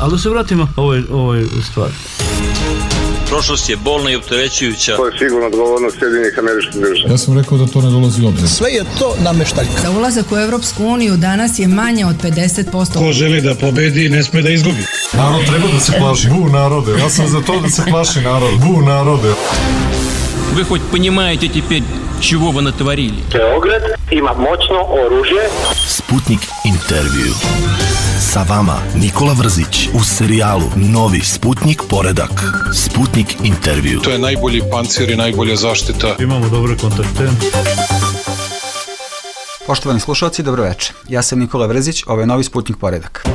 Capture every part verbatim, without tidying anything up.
Ali da se vratimo ovoj, ovoj stvari. Prošlost je bolna i opterećujuća. To je sigurno odgovornost Sjedinjenih Američkih Država. Ja sam rekao da to ne dolazi u obzir. Sve je to nameštaljka. Da ulazak u Evropsku uniju danas je manje od pedeset posto. Ko želi da pobedi, ne sme da izgubi. Narod treba da se plaši. Bu narode. Ja sam za to da se plaši narod. Bu narode. Вы хоть понимаете теперь, чего вы натворили? Beograd ima moćno oružje. Sputnik intervju. Sa vama Nikola Vrzić u serijalu Novi Sputnik poredak. Sputnik intervju. To je najbolji pancir i najbolja zaštita. Imamo dobre kontakte. Poštovani slušalci, dobro večer. Ja sam Nikola Vrzić, ovo je Novi Sputnik poredak.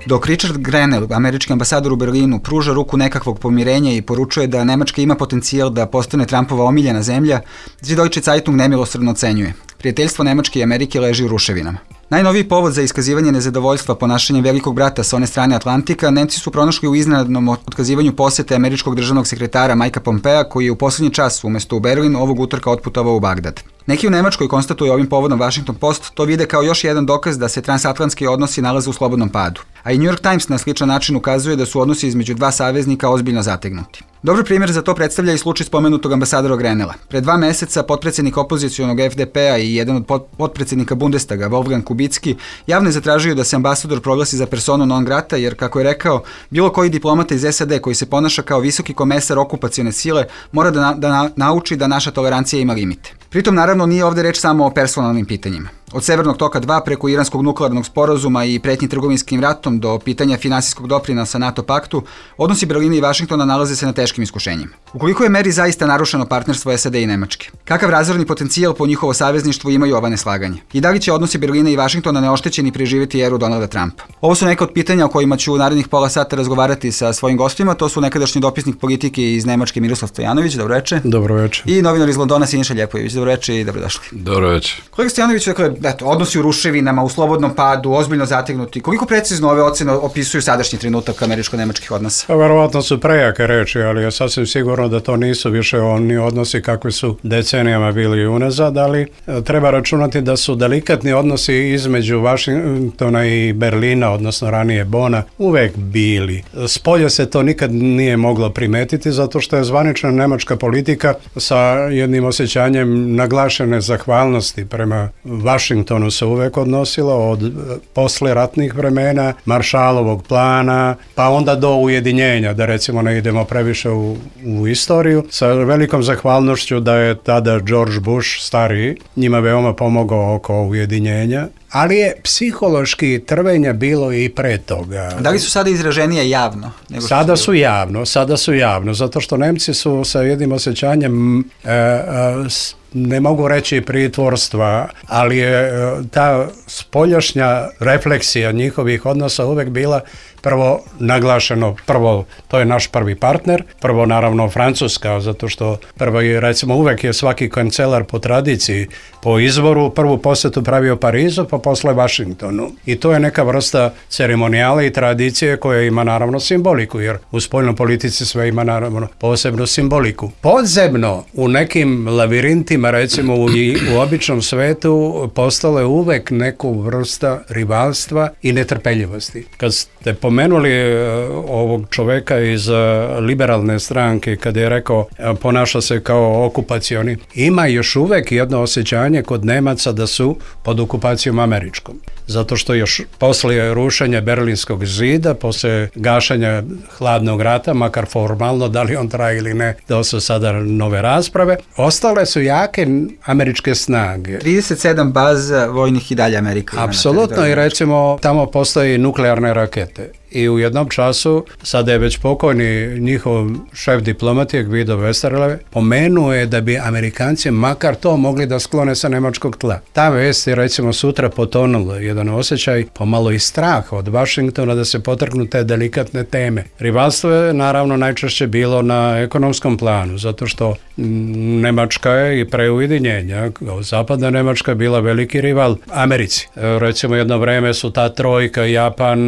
Dok Richard Grenell, američki ambasador u Berlinu, pruža ruku nekakvog pomirenja i poručuje da Nemačka ima potencijal da postane Trumpova omiljena zemlja, Süddeutsche Zeitung nemilosrdno ocenjuje. Prijateljstvo Nemačke i Amerike leži u ruševinama. Najnoviji povod za iskazivanje nezadovoljstva ponašanjem velikog brata sa one strane Atlantika Nemci su pronašli u iznenadnom otkazivanju posete američkog državnog sekretara Mikea Pompea, koji je u poslednji čas umesto u Berlin ovog utorka otputovao u Bagdad. Neki u Nemačkoj konstatuju ovim povodom Washington Post to vide kao još jedan dokaz da se transatlantski odnosi nalaze u slobodnom padu. A i New York Times na sličan način ukazuje da su odnosi između dva saveznika ozbiljno zategnuti. Dobar primjer za to predstavlja i slučaj spomenutog ambasadora Grenella. Pre dva meseca potpredsjednik opozicionog F D P-a i jedan od potpredsjednika Bundestaga, Wolfgang Kubicki, javno je zatražio da se ambasador proglasi za personu non grata, jer, kako je rekao, bilo koji diplomata iz S A D koji se ponaša kao visoki komesar okupacione sile mora da, na, da na, nauči da naša tolerancija ima limite. Pritom, naravno, nije ovde reč samo o personalnim pitanjima. Od Severnog toka dva preko iranskog nuklearnog sporazuma i pretnji trgovinskim ratom do pitanja finansijskog doprinosa NATO paktu, odnosi Berlina i Vašingtona nalaze se na teškim iskušenjima. U koliko je meri zaista narušeno partnerstvo S A D i Nemačke? Kakav razorni potencijal po njihovo savezništvu imaju ova neslaganja? I da li će odnosi Berlina i Vašingtona neoštećeni preživjeti eru Donalda Trumpa? Ovo su neka od pitanja o kojima ću u narednih pola sata razgovarati sa svojim gostima. To su nekadašnji dopisnik politike iz Nemačke Miroslav Stojanović, dobro večer. Dobro večer. I novinar iz Londona Siniša Ljepojević, dobro večer i dobrodošli. Dobro večer. Kolega Stojanović, dakle, eto, odnosi u ruševinama, u slobodnom padu, ozbiljno zategnuti. Koliko precizno ove ocene opisuju sadašnji trenutak američko-nemačkih odnosa? Pa, verovatno su prejake reči, ali je sasvim sigurno da to nisu više oni odnosi kakvi su decenijama bili unazad, ali treba računati da su delikatni odnosi između Vašingtona i Berlina, odnosno ranije Bona, uvek bili. Spolja se to nikad nije moglo primetiti, zato što je zvanična nemačka politika sa jednim osjećanjem naglašene zahvalnosti prema Vašingtonu se uvek odnosila od posle ratnih vremena, Maršalovog plana, pa onda do ujedinjenja, da recimo ne idemo previše u, u istoriju, sa velikom zahvalnošću da je tada George Bush, stariji, njima veoma pomogao oko ujedinjenja, ali je psihološki trvenja bilo i pre toga. Da li su sada izraženije javno? Nego sada su javno, sada su javno, zato što Nemci su sa jednim osjećanjem e, e, ne mogu reći pritvorstva, ali je ta spoljašnja refleksija njihovih odnosa uvek bila prvo naglašeno, prvo to je naš prvi partner, prvo naravno Francuska, zato što prvo je, recimo, uvek je svaki kancelar po tradiciji, po izvoru, prvu posetu pravio Parizu, pa posle Vašingtonu. I to je neka vrsta ceremonijale i tradicije koja ima naravno simboliku, jer u spoljnoj politici sve ima naravno posebnu simboliku. Podzemno, u nekim lavirintima, recimo u, u običnom svetu, postale uvek neku vrsta rivalstva i netrpeljivosti. Kad ste pomenuli ovog čoveka iz liberalne stranke, kada je rekao ponaša se kao okupacioni, ima još uvek jedno osjećanje kod Nemaca da su pod okupacijom američkom. Zato što još posle rušenja Berlinskog zida, posle gašanja hladnog rata, makar formalno, da li on traje ili ne, da su sada nove rasprave, ostale su jake američke snage. trideset sedam baza vojnih i dalje Amerika. Apsolutno, i recimo tamo postoji nuklearne rakete. I u jednom času, sada je već pokojni njihov šef diplomatije Guido Westerwelle, pomenuo je da bi Amerikanci makar to mogli da sklone sa nemačkog tla. Ta vest je recimo sutra potonula jedan osjećaj, pomalo i strah od Vašingtona da se potrgnu te delikatne teme. Rivalstvo je naravno najčešće bilo na ekonomskom planu, zato što Nemačka je i pre ujedinjenja, zapadna Nemačka bila veliki rival Americi. Recimo jedno vreme su ta trojka, Japan,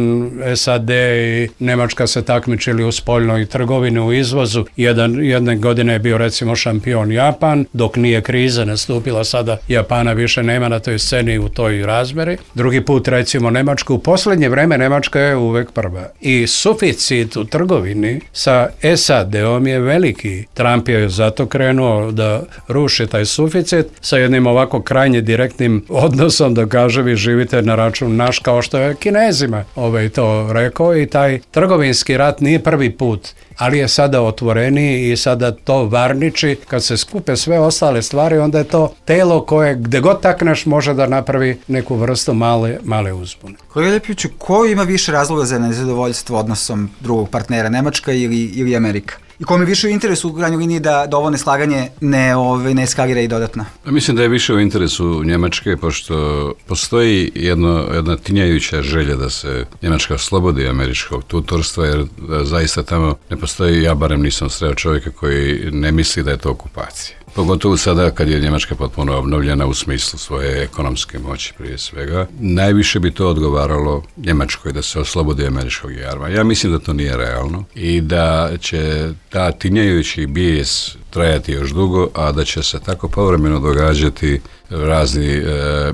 S A D i Nemačka se takmičili u spoljnoj trgovini, u izvozu. Jedan, jedne godine je bio recimo šampion Japan, dok nije kriza nastupila, sada Japana više nema na toj sceni u toj razmeri. Drugi drugi put recimo Nemačka. U posljednje vreme Nemačka je uvek prva. I suficit u trgovini sa S A D-om je veliki. Trump je zato krenuo da ruši taj suficit sa jednim ovako krajnje direktnim odnosom, da kaže vi živite na račun naš, kao što je Kinezima ovaj to rekao, i taj trgovinski rat nije prvi put, ali je sada otvoreniji i sada to varniči. Kad se skupe sve ostale stvari, onda je to telo koje gde god takneš može da napravi neku vrstu male, male uzbune. Kolega Ljepiću, ko ima više razloga za nezadovoljstvo odnosom drugog partnera, Nemačka ili, ili Amerika? I kome više u interesu u krajnjoj liniji da, da ovo neslaganje ne, ove, ne eskalira i dodatno? Mislim da je više u interesu Njemačke, pošto postoji jedno, jedna tinjajuća želja da se Njemačka oslobodi američkog tutorstva, jer zaista tamo ne postoji, ja barem nisam sreo čovjeka koji ne misli da je to okupacija. Pogotovo sada kad je Njemačka potpuno obnovljena u smislu svoje ekonomske moći prije svega. Najviše bi to odgovaralo Njemačkoj da se oslobodi američkog jarma. Ja mislim da to nije realno i da će ta tinjajući bijes trajati još dugo, a da će se tako povremeno događati razni e,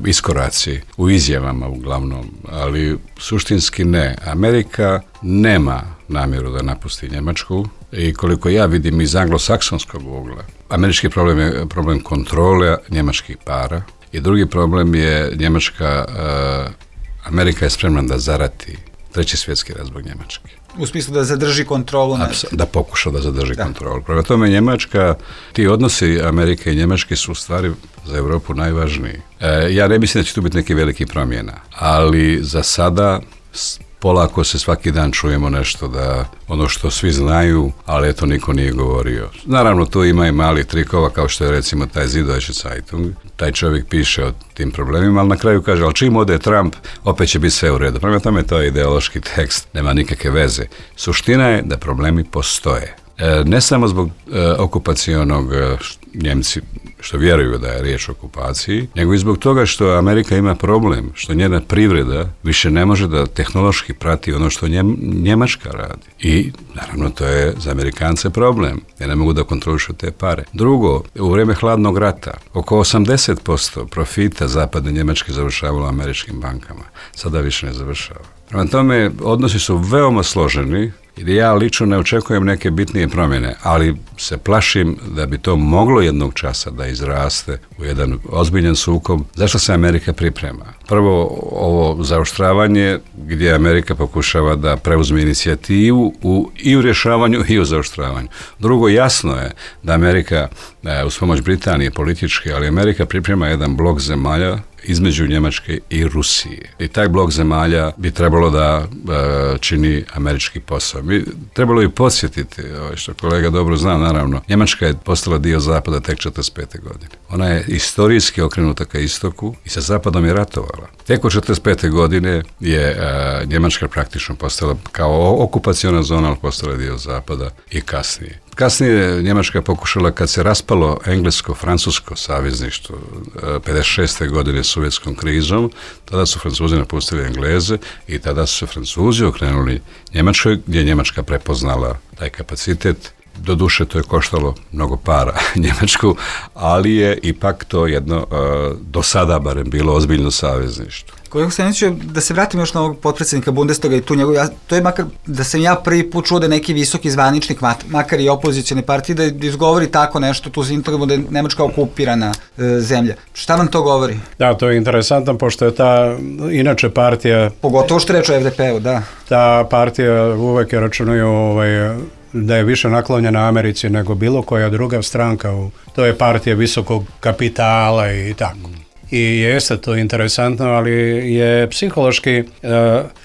iskoraci u izjavama uglavnom, ali suštinski ne. Amerika nema namjeru da napusti Njemačku i koliko ja vidim iz anglosaksonskog ugla, američki problem je problem kontrole njemačkih para i drugi problem je Njemačka, e, Amerika je spremna da zarati treći svjetski rat zbog Njemačke. U smislu da zadrži kontrolu nad... Da pokuša da zadrži da. kontrolu. Prema tome Njemačka, ti odnosi Amerike i Njemačke su u stvari za Europu najvažniji. E, ja ne mislim da će tu biti neki veliki promjena, ali za sada polako se svaki dan čujemo nešto da ono što svi znaju, ali eto niko nije govorio. Naravno tu ima i mali trikova kao što je recimo taj Süddeutsche Zeitung. Taj čovjek piše o tim problemima, ali na kraju kaže, ali čim ode Trump, opet će biti sve u redu. Prema tome to je ideološki tekst, nema nikakve veze. Suština je da problemi postoje. E, ne samo zbog e, okupacionog e, Njemci što vjeruju da je riječ o okupaciji, nego i zbog toga što Amerika ima problem, što njena privreda više ne može da tehnološki prati ono što Njem, Njemačka radi. I naravno to je za Amerikance problem, jer ne mogu da kontrolišu te pare. Drugo, u vrijeme hladnog rata oko osamdeset posto profita zapadne Njemačke završavalo u američkim bankama. Sada više ne završava. Prema tome, odnosi su veoma složeni i ja lično ne očekujem neke bitnije promjene, ali se plašim da bi to moglo jednog časa da izraste u jedan ozbiljan sukob. Zašto se Amerika priprema? Prvo, ovo zaoštravanje gdje Amerika pokušava da preuzme inicijativu u, i u rješavanju i u zaoštravanju. Drugo, jasno je da Amerika, uz pomoć Britanije politički, ali Amerika priprema jedan blok zemalja između Njemačke i Rusije. I taj blok zemalja bi trebalo da e, čini američki posao. Mi trebalo i podsjetiti, što kolega dobro zna, naravno, Njemačka je postala dio Zapada tek četrdeset pete godine. Ona je istorijski okrenuta ka istoku i sa Zapadom je ratovala. Tek od četrdeset pete godine je e, Njemačka praktično postala kao okupaciona zona, ali postala dio Zapada i kasnije. Kasnije Njemačka pokušala, kad se raspalo englesko-francusko savezništvo pedeset šeste godine sovjetskom krizom, tada su Francuzi napustili Engleze i tada su se Francuzi okrenuli Njemačkoj, gdje je Njemačka prepoznala taj kapacitet. Doduše to je koštalo mnogo para Njemačku, ali je ipak to jedno do sada barem bilo ozbiljno savezništvo. Kolega Staniću, da se vratim još na ovog potpredsjednika Bundestaga i tu njegov, ja, to je makar da sam ja prvi put čuo da neki visoki zvaničnik, makar i opozicijone partije, da izgovori tako nešto, tu zintramo da je Nemačka okupirana e, zemlja. Šta vam to govori? Da, to je interesantno, pošto je ta inače partija... Pogotovo što reče o F D P-u, da. Ta partija uvek je računaju ovaj, da je više naklonjena Americi nego bilo koja druga stranka. U, to je partija visokog kapitala i tako. I jeste to interesantno, ali je psihološki uh,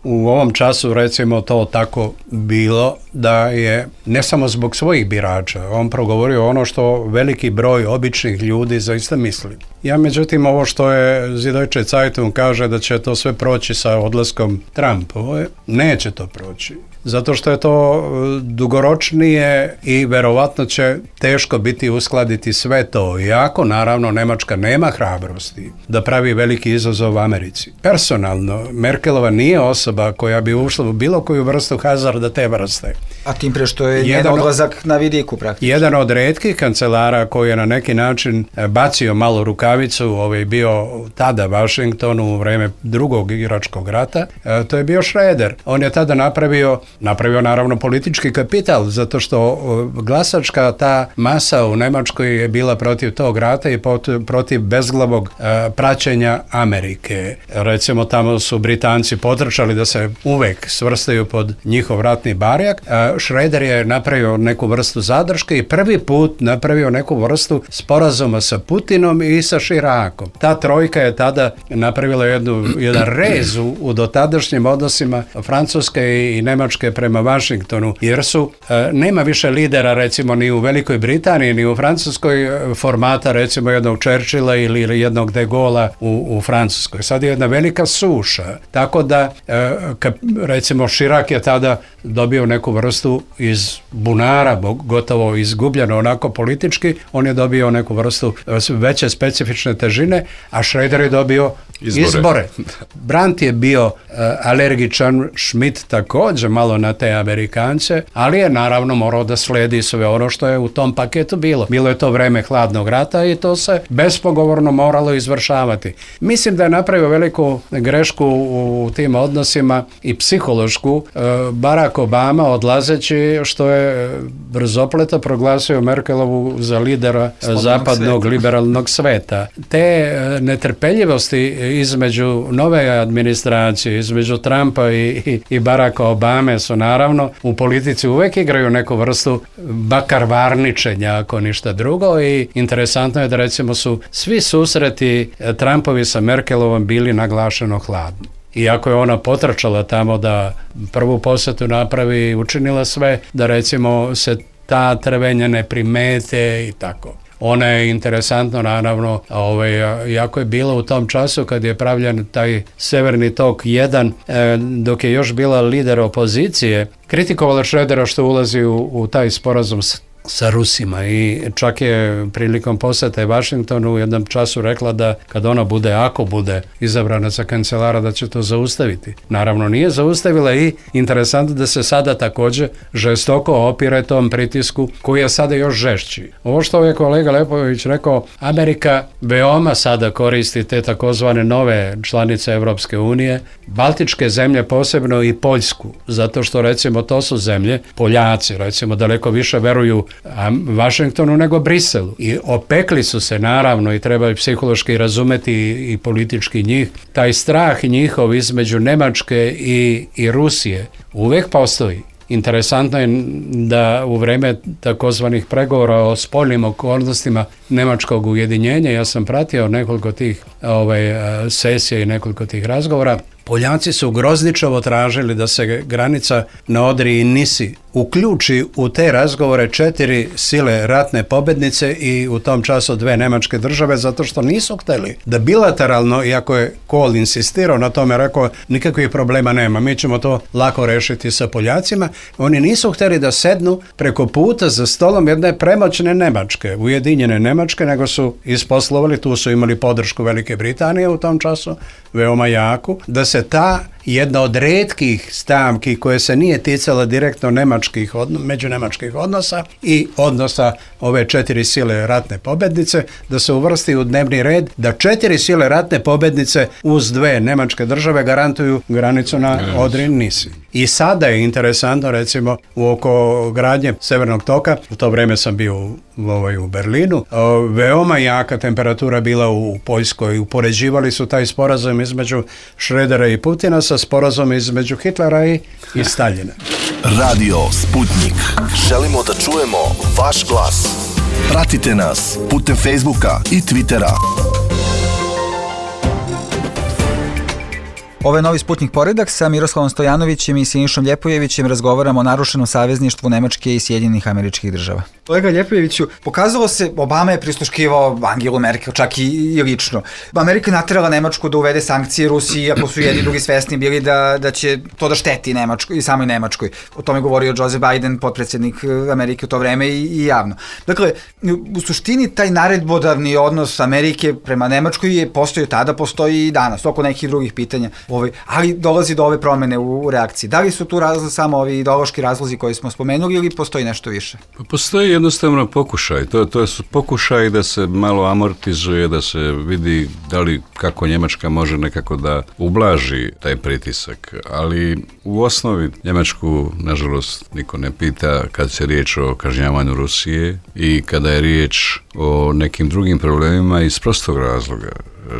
u ovom času recimo to tako bilo da je ne samo zbog svojih birača, on progovorio ono što veliki broj običnih ljudi zaista misli. Ja međutim ovo što je Süddeutsche Zeitung kaže da će to sve proći sa odlaskom Trumpove, neće to proći. Zato što je to dugoročnije i verovatno će teško biti uskladiti sve to. Iako, naravno, Nemačka nema hrabrosti da pravi veliki izazov Americi. Personalno, Merkelova nije osoba koja bi ušla u bilo koju vrstu hazarda te vrste. A tim pre što je jedan njen odlazak na vidiku praktično. Jedan od retkih kancelara koji je na neki način bacio malo rukavicu, ovaj bio tada Washingtonu u vreme drugog igračkog rata, to je bio Schroeder. On je tada napravio, napravio naravno politički kapital, zato što glasačka ta masa u Nemačkoj je bila protiv tog rata i protiv bezglavog praćenja Amerike. Recimo tamo su Britanci potrčali da se uvek svrstaju pod njihov ratni barjak. Schroeder je napravio neku vrstu zadrške i prvi put napravio neku vrstu sporazuma sa Putinom i sa Širakom. Ta trojka je tada napravila jednu, jedan rez u, u dotadašnjim odnosima Francuske i, i Nemačke prema Washingtonu, jer su, e, nema više lidera recimo ni u Velikoj Britaniji, ni u Francuskoj formata recimo jednog Churchilla ili, ili jednog de Gaulle'a u, u Francuskoj. Sad je jedna velika suša, tako da e, ka, recimo Širak je tada dobio neku vrstu iz bunara, gotovo izgubljeno onako politički, on je dobio neku vrstu veće specifične težine, a Schroeder je dobio izbore. izbore. Brandt je bio uh, alergičan, Schmidt također malo na te Amerikance, ali je naravno morao da sledi sve ono što je u tom paketu bilo. Bilo je to vreme hladnog rata i to se bespogovorno moralo izvršavati. Mislim da je napravio veliku grešku u tim odnosima i psihološku uh, Barack Obama odlazeći, što je brzopleto proglasio Merkelovu za lidera Slobodnog zapadnog sveta. liberalnog sveta. Te uh, netrpeljivosti između nove administracije, između Trumpa i, i, i Baracka Obame su naravno u politici uvek igraju neku vrstu bakarvarničenja, ako ništa drugo, i interesantno je da recimo su svi susreti Trumpovi sa Merkelovom bili naglašeno hladni. Iako je ona potrčala tamo da prvu posjetu napravi i učinila sve da recimo se ta trvenja ne primete i tako. Ona je interesantno, naravno, ovaj, jako je bila u tom času kad je pravljen taj Severni tok jedan, e, dok je još bila lider opozicije, kritikovala Schroedera što ulazi u, u taj sporazum s sa Rusima i čak je prilikom posjete Washingtonu u jednom času rekla da kad ona bude, ako bude izabrana za kancelara, da će to zaustaviti. Naravno nije zaustavila i interesantno da se sada također žestoko opire tom pritisku koji je sada još žešći. Ovo što je kolega Lepović rekao, Amerika veoma sada koristi te takozvane nove članice Evropske unije, Baltičke zemlje posebno i Poljsku, zato što recimo to su zemlje, Poljaci recimo daleko više veruju Washingtonu nego Briselu. I opekli su se naravno i treba i psihološki razumeti i, i politički njih. Taj strah njihov između Nemačke i, i Rusije uvek postoji. Interesantno je da u vreme takozvanih pregovora o spoljnim okolnostima nemačkog ujedinjenja, ja sam pratio nekoliko tih ovaj, sesija i nekoliko tih razgovora, Poljaci su grozničavo tražili da se granica na Odri i Nisi uključi u te razgovore četiri sile ratne pobednice i u tom času dve nemačke države, zato što nisu hteli da bilateralno, iako je Kohl insistirao na tome, rekao nikakvih problema nema, mi ćemo to lako rešiti sa Poljacima, oni nisu hteli da sednu preko puta za stolom jedne premoćne Nemačke, ujedinjene Nemačke, nego su isposlovali, tu su imali podršku Velike Britanije u tom času, veoma jaku, da se ta jedna od retkih stavki koje se nije ticala direktno nemačkih odno, međunemačkih odnosa i odnosa ove četiri sile ratne pobednice, da se uvrsti u dnevni red, da četiri sile ratne pobednice uz dve nemačke države garantuju granicu na Odri i Nisi. I sada je interesantno, recimo, u oko gradnje Severnog toka, u to vreme sam bio u, ovaj, u Berlinu, o, veoma jaka temperatura bila u Poljskoj, upoređivali su taj sporazum između Schroedera i Putina sa sporazum između Hitlera i, i Staljina. Radio Sputnik. Želimo da čujemo vaš glas. Pratite nas putem Facebooka i Twittera. Ovo je Novi Sputnik poredak, sa Miroslavom Stojanovićem i Sinišom Ljepojevićem razgovaramo o narušenom savezništvu Nemačke i Sjedinjenih Američkih Država. Kolega Ljepojeviću, pokazalo se, Obama je prisluškivao Angelu Merkel, čak i, i lično. Amerika naterala Nemačku da uvede sankcije Rusiji, ako su jedni drugi svesni bili da, da će to da šteti Nemačkoj i samoj Nemačkoj. O tome govorio Joe Biden, potpredsjednik Amerike u to vreme i, i javno. Dakle, u suštini taj naredbodavni odnos Amerike prema Nemačkoj je postojao tada, postoji i danas, oko nekih drugih pitanja. Ovaj, ali dolazi do ove promene u, u reakciji. Da li su tu razlozi samo ovi ideološki razlozi koji smo spomenuli ili postoji nešto više? Postoji jednostavno pokušaj. To, to su pokušaj da se malo amortizuje, da se vidi da li kako Njemačka može nekako da ublaži taj pritisak. Ali u osnovi Njemačku, nažalost, niko ne pita kad se riječ o kažnjavanju Rusije i kada je riječ o nekim drugim problemima iz prostog razloga.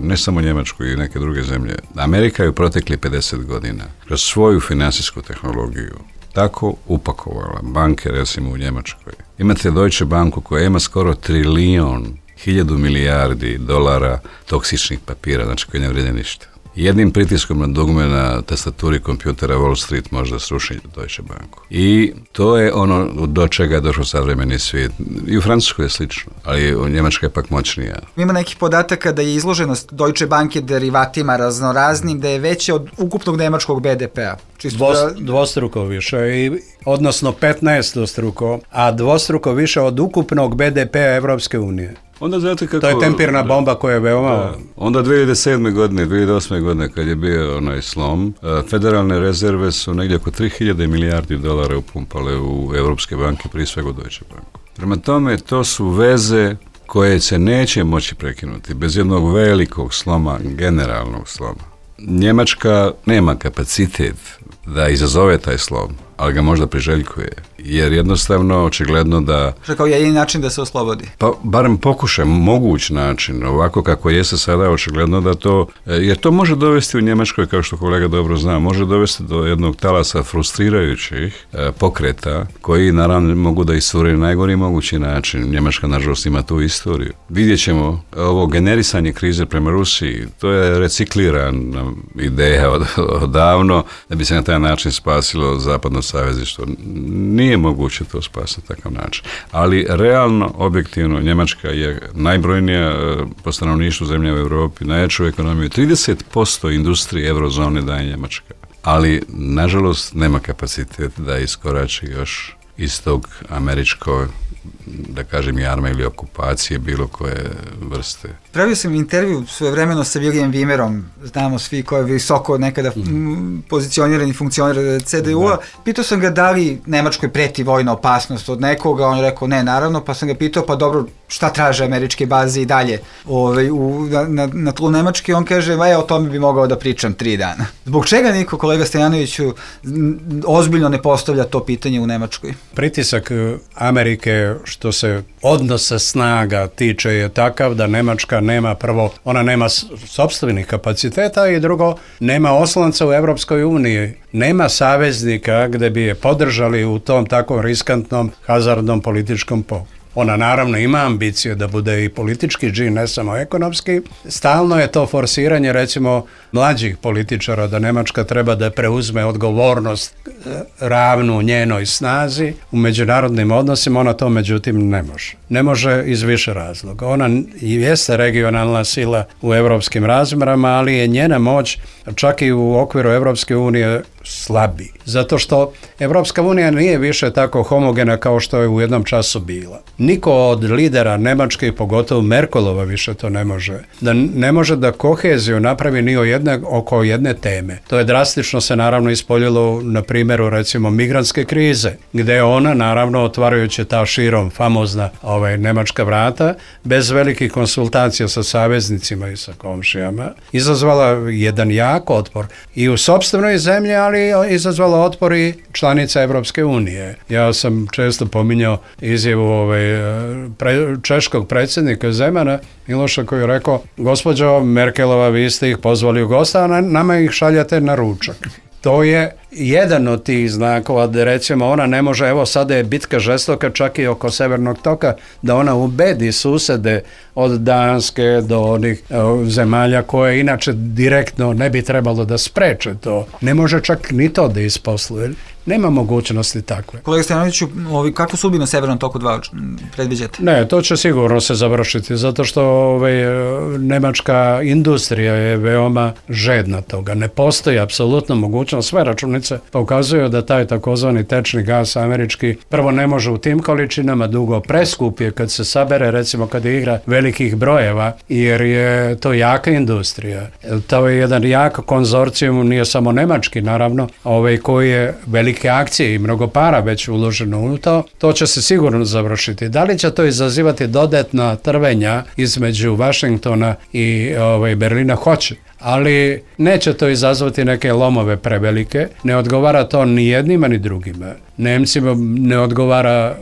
Ne samo Njemačku i neke druge zemlje. Amerika je u protekli pedeset godina kroz svoju financijsku tehnologiju tako upakovala banke, recimo u Njemačkoj. Imate Deutsche Banku koja ima skoro trilijon, hiljadu milijardi dolara toksičnih papira, znači koji ne vrede ništa. Jednim pritiskom na dugme na tastaturi kompjutera Wall Street može da sruši Deutsche Banku. I to je ono do čega je došao savremeni svijet. I u Francuskoj je slično, ali u Njemačkoj je pak moćnija. Ima nekih podataka da je izloženost Deutsche Banke derivatima raznoraznim, da je veća od ukupnog nemačkog be de pea. Dvos, da... Dvostruko više, i, odnosno petnaestostruko, a dvostruko više od ukupnog be de pea Evropske unije. Onda znate kako... To je tempirna bomba koja je veoma... Da. Onda dvije hiljade sedme godine, dvije hiljade osme godine kad je bio onaj slom, federalne rezerve su negdje oko tri hiljade milijardi dolara upumpale u Evropske banke, prije svega u Deutsche Banku. Prema tome, to su veze koje se neće moći prekinuti bez jednog velikog sloma, generalnog sloma. Njemačka nema kapacitet da izazove taj slom, ali ga možda priželjkuje, jer jednostavno očigledno da... Što kao jedini način da se oslobodi? Pa barem pokušaj, moguć način, ovako kako jeste sada, očigledno da to, jer to može dovesti u Njemačkoj, kao što kolega dobro zna, može dovesti do jednog talasa frustrirajućih e, pokreta, koji naravno mogu da iscure na najgori mogući način. Njemačka, nažalost, ima tu istoriju. Vidjet ćemo ovo generisanje krize prema Rusiji, to je reciklirana ideja od, odavno, da bi se na taj način spasilo zapadno savezništvo. Nije moguće to spasiti na takav način. Ali realno, objektivno, Njemačka je najbrojnija po stanovništvu zemlja u Europi, najjaču ekonomiju. trideset posto industrije eurozone daje Njemačka. Ali, nažalost, nema kapacitet da iskorači još iz tog američkog, da kažem, jarma ili okupacije bilo koje vrste. Pravio sam intervju svojevremeno sa William Wimmerom, znamo svi ko je visoko nekada mm. pozicionirani funkcioner ce de u-a. Pitao sam ga da li Nemačkoj preti vojna opasnost od nekoga, on je rekao ne, naravno, pa sam ga pitao pa dobro, šta traže američke baze i dalje ovaj, u, na, na tlu Nemačke, on kaže, e, o tome bi mogao da pričam tri dana. Zbog čega niko, kolega Stojanoviću, ozbiljno ne postavlja to pitanje u Nemačkoj? Pritisak Amerike što se odnosa snaga tiče je takav da Nemačka nema prvo, ona nema sopstvenih kapaciteta i drugo, nema oslanca u Evropskoj uniji, nema saveznika gde bi je podržali u tom tako riskantnom, hazardnom političkom poku. Ona naravno ima ambicije da bude i politički džin, ne samo ekonomski. Stalno je to forsiranje, recimo, mlađih političara da Nemačka treba da preuzme odgovornost ravnu njenoj snazi u međunarodnim odnosima, ona to međutim ne može. Ne može iz više razloga. Ona jeste regionalna sila u evropskim razmerama, ali je njena moć čak i u okviru Evropske unije slabi. Zato što Evropska unija nije više tako homogena kao što je u jednom času bila. Niko od lidera Nemačke, pogotovo Merkelova, više to ne može. Da ne može da koheziju napravi ni o jedne, oko jedne teme. To je drastično se naravno ispoljilo na primjeru recimo migrantske krize, gde je ona naravno otvarajući ta širom famozna ovaj, nemačka vrata, bez velikih konsultacija sa saveznicima i sa komšijama, izazvala jedan jak otpor i u sopstvenoj zemlji, ali izazvala otpor i članica Evropske unije. Ja sam često pominjao izjavu ovaj, pre, češkog predsjednika Zemana, Miloša, koji je rekao, gospođo Merkelova, vi ste ih pozvali u gosta, a nama ih šaljate na ručak. To je jedan od tih znakova da recimo ona ne može, evo sada je bitka žestoka čak i oko Severnog toka, da ona ubedi susede od Danske do onih uh, zemalja koje inače direktno ne bi trebalo da spreče to. Ne može čak ni to da isposluje. Nema mogućnosti takve. Kolega Stojanoviću, ovi, kako sudbinu Severnom toku dva predviđate? Ne, to će sigurno se završiti, zato što ovaj, nemačka industrija je veoma žedna toga. Ne postoji apsolutno mogućnost, sve računice dionica pokazuju da taj takozvani tečni gas američki prvo ne može u tim količinama, dugo preskup je kad se sabere, recimo kad je igra velikih brojeva, jer je to jaka industrija. To je jedan jak konzorcijum, nije samo nemački naravno, ovaj koji je velike akcije i mnogo para već uloženo u to, to će se sigurno završiti. Da li će to izazivati dodatna trvenja između Vašingtona i ovaj, Berlina? Hoće. Ali neće to izazvati neke lomove prevelike, ne odgovara to ni jednima ni drugima. Nemcima ne odgovara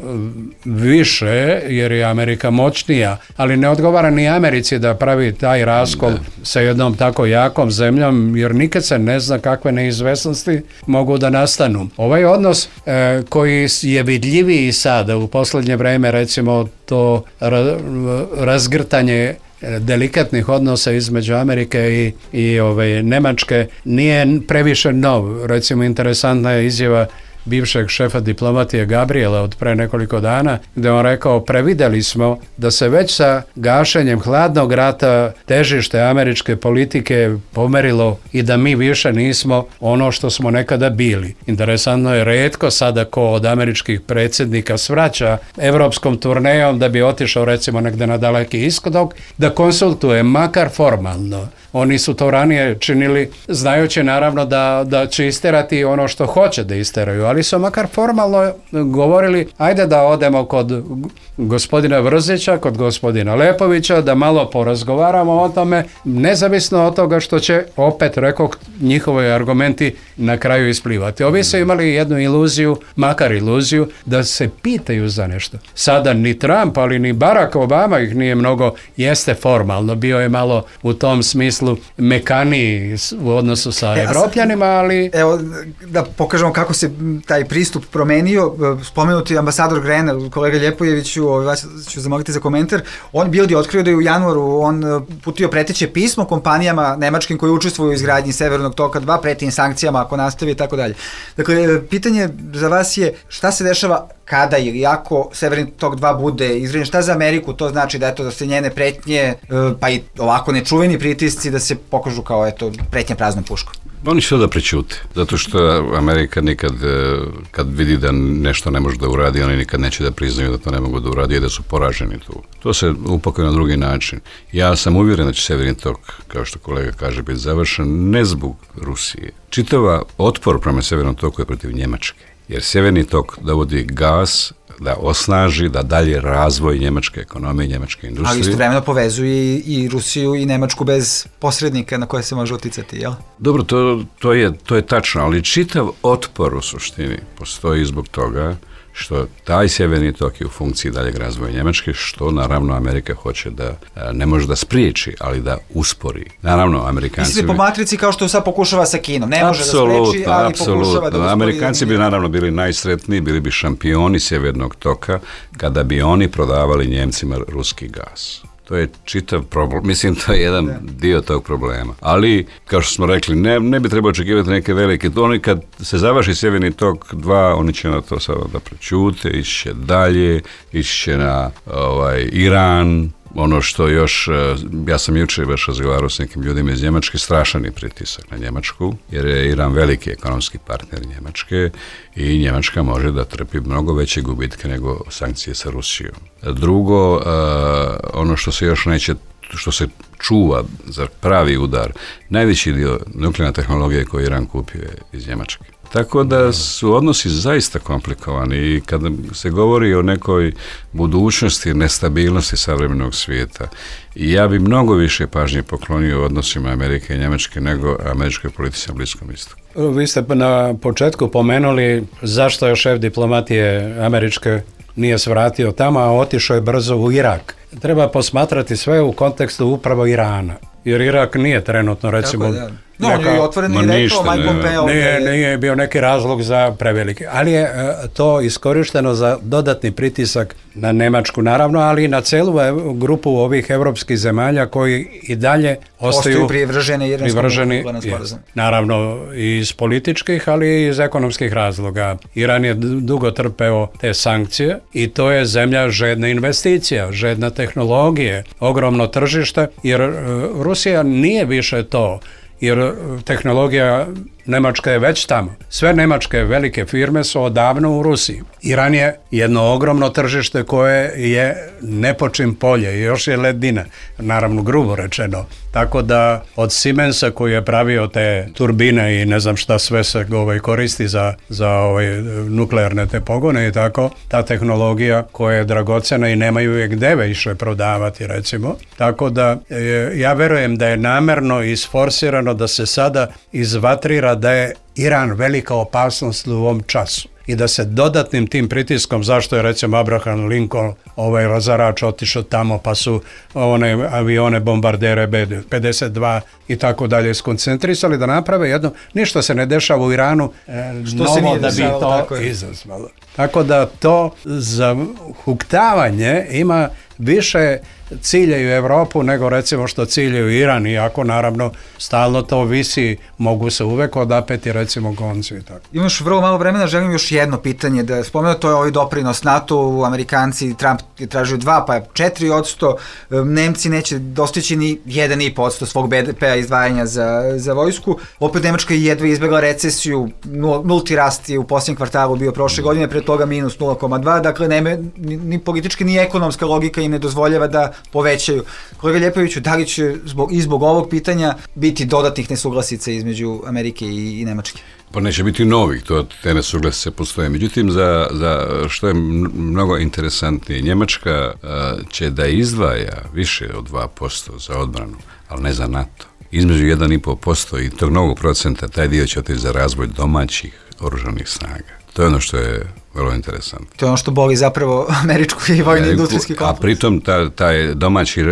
više jer je Amerika moćnija, ali ne odgovara ni Americi da pravi taj raskol sa jednom tako jakom zemljom, jer nikad se ne zna kakve neizvesnosti mogu da nastanu. Ovaj odnos e, koji je vidljiviji sada u posljednje vreme, recimo to ra, razgrtanje delikatnih odnosa između Amerike i, i ove, Nemačke nije previše nov. Recimo, interesantna je izjava bivšeg šefa diplomatije Gabriela od pre nekoliko dana, gde on rekao, prevideli smo da se već sa gašenjem hladnog rata težište američke politike pomerilo i da mi više nismo ono što smo nekada bili. Interesantno je, retko sada ko od američkih predsjednika svraća evropskom turnejom da bi otišao recimo negde na daleki istok, da konsultuje makar formalno. Oni su to ranije činili znajući naravno da, da će isterati ono što hoće da isteraju, ali su makar formalno govorili ajde da odemo kod gospodina Vrzića, kod gospodina Lepovića, da malo porazgovaramo o tome, nezavisno od toga što će, opet rekao, njihovi argumenti na kraju isplivati. Ovi su imali jednu iluziju, makar iluziju, da se pitaju za nešto. Sada ni Trump, ali ni Barack Obama ih nije mnogo, jeste formalno, bio je malo u tom smislu mekaniji u odnosu sa e, Evropljanima, ali... Evo, da pokažemo kako se taj pristup promenio, spomenuti ambasador Grenell, kolega Ljepojeviću, vas ću zamoliti za komentar, on Bild je otkrio da je u januaru on putio preteće pismo kompanijama nemačkim koji učestvuju u izgradnji Severnog toka dva, preti im sankcijama ako nastavi i tako dalje. Dakle, pitanje za vas je šta se dešava kada ili ako Severni tok dva bude izgrađen, šta za Ameriku to znači da eto da se njene pretnje, pa i ovako nečuveni pritisci da se pokažu kao eto pretnja praznom puškom? Oni će to da prećute, zato što Amerika nikad, kad vidi da nešto ne može da uradi, oni nikad neće da priznaju da to ne mogu da uradi i da su poraženi tu. To se upakuje na drugi način. Ja sam uvjeren da će Severni tok, kao što kolega kaže, biti završen ne zbog Rusije. Čitava otpor prema Severnom toku je protiv Njemačke, jer Severni tok dovodi gas da osnaži, da dalje razvoj njemačke ekonomije, njemačke industrije. Ali istovremeno povezuje i, i Rusiju i Nemačku bez posrednika na koje se može uticati, jel? Dobro, to, to, je, to je tačno, ali čitav otpor u suštini postoji zbog toga što taj Severni tok je u funkciji daljeg razvoja Njemačke, što naravno Amerika hoće da, ne može da spriječi, ali da uspori. Naravno, Amerikanci... Mislite po matrici kao što sad pokušava sa Kinom, ne može da spriječi, ali pokušava da uspori. Amerikanci bi naravno bili najsretniji, bili bi šampioni Severnog toka kada bi oni prodavali Njemcima ruski gas. To je čitav problem, mislim to je jedan dio tog problema. Ali, kao što smo rekli, ne, ne bi trebalo očekivati neke velike, oni kad se završi Severni tok dva, oni će na to sada da prećute, iće dalje, iće na ovaj, Iran, ono što još, ja sam jučer baš razgovarao s nekim ljudima iz Njemačke, strašan je pritisak na Njemačku, jer je Iran veliki ekonomski partner Njemačke i Njemačka može da trpi mnogo veće gubitke nego sankcije sa Rusijom. Drugo, uh, ono što se još neće, što se čuva za pravi udar, najveći dio nuklearne tehnologije koju Iran kupio je iz Njemačke. Tako da su odnosi zaista komplikovani i kada se govori o nekoj budućnosti, nestabilnosti savremenog svijeta, ja bi mnogo više pažnje poklonio odnosima Amerike i Njemačke nego američkoj politici na Bliskom istoku. Vi ste na početku pomenuli zašto je šef diplomatije američke nije svratio tamo, a otišao je brzo u Irak. Treba posmatrati sve u kontekstu upravo Irana, jer Irak nije trenutno, recimo... Tako, da. No, on je otvoreno i rekao, Mike Pompeo... Nije, nije bio neki razlog za prevelike, ali je to iskorišteno za dodatni pritisak na Nemačku, naravno, ali i na celu grupu ovih evropskih zemalja koji i dalje ostaju privrženi privrženi, naravno iz političkih, ali i iz ekonomskih razloga. Iran je dugo trpeo te sankcije i to je zemlja žedna investicija, žedna tehnologije, ogromno tržište, jer Rusija nije više to, jer tehnologija Nemačka je već tamo. Sve nemačke velike firme su odavno u Rusiji. Iran je jedno ogromno tržište koje je nepočin polje i još je ledina, naravno grubo rečeno. Tako da od Siemensa koji je pravio te turbine i ne znam šta sve se ovaj, koristi za, za ovaj, nuklearne te pogone i tako, ta tehnologija koja je dragocena i nemaju je gde više prodavati recimo. Tako da e, ja verujem da je namerno isforsirano da se sada izvatrira da je Iran velika opasnost u ovom času i da se dodatnim tim pritiskom, zašto je recimo Abraham Lincoln ovaj razarač otišao tamo pa su one avione bombardere B pedeset dva i tako dalje skoncentrisali da naprave jedno, ništa se ne dešava u Iranu e, novo da bi to izazvalo. Tako da to zahuktavanje ima više ciljaju Evropu nego recimo što ciljaju Iran, iako naravno stalno to visi, mogu se uvek odapeti recimo konci i tako. Imaš vrlo malo vremena, želim još jedno pitanje da spomenu, to je ovaj doprinos NATO, Amerikanci, Trump je tražio dva pa četiri odsto, Nemci neće dostići ni jedan i po odsto svog B D P-a izdvajanja za, za vojsku, opet Nemačka je jedva izbjegla recesiju, nulti rast je u posljednjem kvartalu bio prošle godine, pre toga minus nula zarez dva, dakle nema, ni, ni politička ni ekonomska logika im ne dozvoljava da povećaju. Kolega Ljepoviću, da li će zbog, i zbog ovog pitanja biti dodatnih nesuglasica između Amerike i, i Nemačke? Pa neće biti novih, to te nesuglasice postoje. Međutim, za, za što je mnogo interesantnije, Njemačka a, će da izdvaja više od dva posto za odbranu, ali ne za NATO. Između jedan i po posto i tog novog procenta, taj dio će otići za razvoj domaćih oružanih snaga. To je ono što je vrlo interesantno. To je ono što boli zapravo američku i vojni industrijski kompleks. A pritom ta, taj domaći,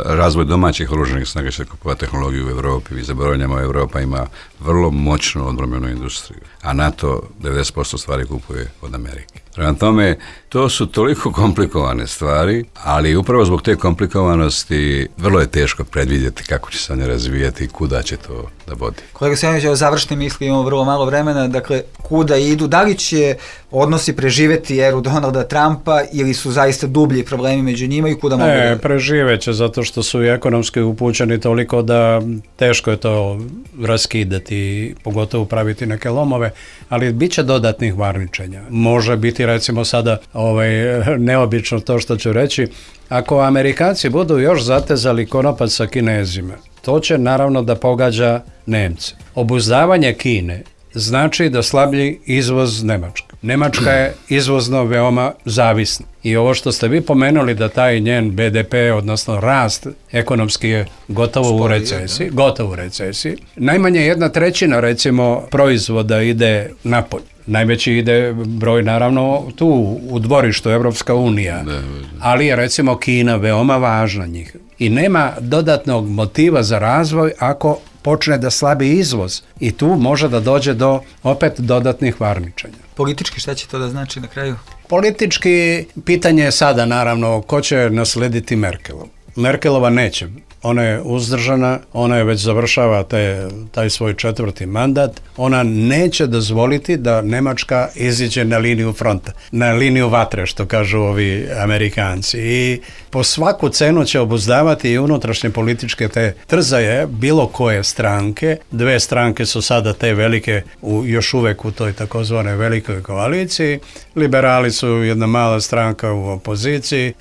razvoj domaćih oružanih snaga će kupovati tehnologiju u Evropi. Mi zaboravljamo, Evropa ima vrlo moćnu odbrambenu industriju, a NATO devedeset posto stvari kupuje od Amerike. Prema tome, to su toliko komplikovane stvari, ali upravo zbog te komplikovanosti vrlo je teško predvidjeti kako će se one razvijati i kuda će to da vodi. Kolega Sjanović, o završne misli, imamo vrlo malo vremena, dakle, kuda idu, da li će odnosi preživeti eru Donalda Trumpa ili su zaista dublji problemi među njima i kuda mogu da... Ne, preživeće, zato što su i ekonomski upućeni toliko da teško je to raskidati, pogotovo praviti neke lomove, ali bit će dodatnih varničenja. Može biti recimo sada ovaj, neobično to što ću reći, ako Amerikanci budu još zatezali konopac sa Kinezima, to će naravno da pogađa Nemce. Obuzdavanje Kine znači da slablji izvoz Nemačke. Nemačka je izvozno veoma zavisna. I ovo što ste vi pomenuli da taj njen B D P, odnosno rast ekonomski je gotovo u recesiji, gotovo u recesiji. Najmanje jedna trećina recimo proizvoda ide napolje. Najveći ide broj naravno tu u dvorištu Evropska unija, ali je recimo Kina veoma važna njih. I nema dodatnog motiva za razvoj ako počne da slabi izvoz i tu može da dođe do opet dodatnih varničanja. Politički šta će to da znači na kraju? Politički pitanje je sada naravno ko će naslediti Merkelov. Merkelova neće. Ona je uzdržana, ona je već završava te, taj svoj četvrti mandat. Ona neće dozvoliti da Nemačka iziđe na liniju fronta, na liniju vatre, što kažu ovi Amerikanci. I po svaku cenu će obuzdavati i unutrašnje političke te trzaje bilo koje stranke. Dve stranke su sada te velike, u, još uvek u toj takozvane velikoj koaliciji. Liberali su jedna mala stranka u opoziciji.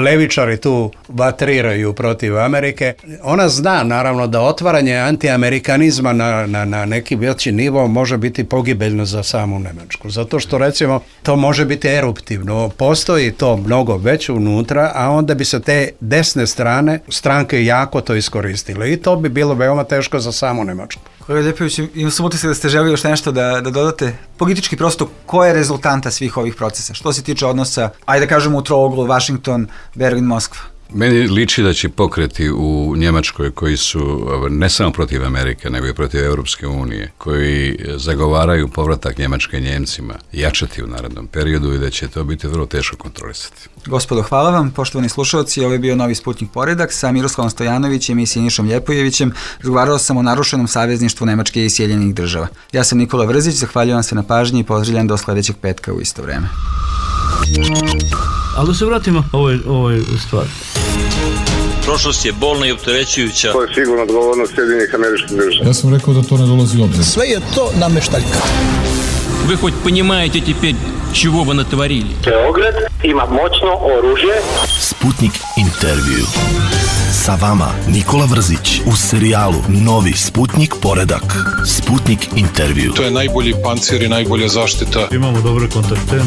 Levičari tu vatriraju protiv Amerike. Ona zna naravno da otvaranje antiamerikanizma na, na, na neki veći nivo može biti pogibeljno za samu Nemačku. Zato što recimo to može biti eruptivno. Postoji to mnogo već unutra, a onda bi se te desne strane stranke jako to iskoristile. I to bi bilo veoma teško za samu Nemačku. Kolega Ljepović, imam sam utisak da ste želi još nešto da, da dodate. Politički prosto, koja je rezultanta svih ovih procesa? Što se tiče odnosa, ajde da kažemo u trouglu, Washington, Berlin, Moskva? Meni liči da će pokreti u Njemačkoj koji su ne samo protiv Amerike, nego i protiv Europske unije, koji zagovaraju povratak Njemačke Njemcima, jačati u narednom periodu i da će to biti vrlo teško kontrolisati. Gospodo, hvala vam. Poštovani slušalci, ovo je bio Novi Sputnik Poredak sa Miroslavom Stojanovićem i Sinišom Ljepojevićem. Razgovarao sam o narušenom savezništvu Nemačke i Sjedinjenih Država. Ja sam Nikola Vrzić, zahvaljujem se na pažnji i pozdravljam do sledećeg petka u isto vreme. Ali da se vratimo ovoj, ovoj stvari. Prošlost je bolna i opterećujuća. To je sigurno odgovornost Sjedinjenih Američkih Država. Ja sam rekao da to ne dolazi u obzir. Sve je to nameštaljka. Вы хоть понимаете теперь, чего вы натворили? Beograd ima moćno oružje. Sputnik intervju. Sa vama Nikola Vrzić u serijalu Novi Sputnik poredak. Sputnik intervju. To je najbolji pancir i najbolja zaštita. Imamo dobre kontakte.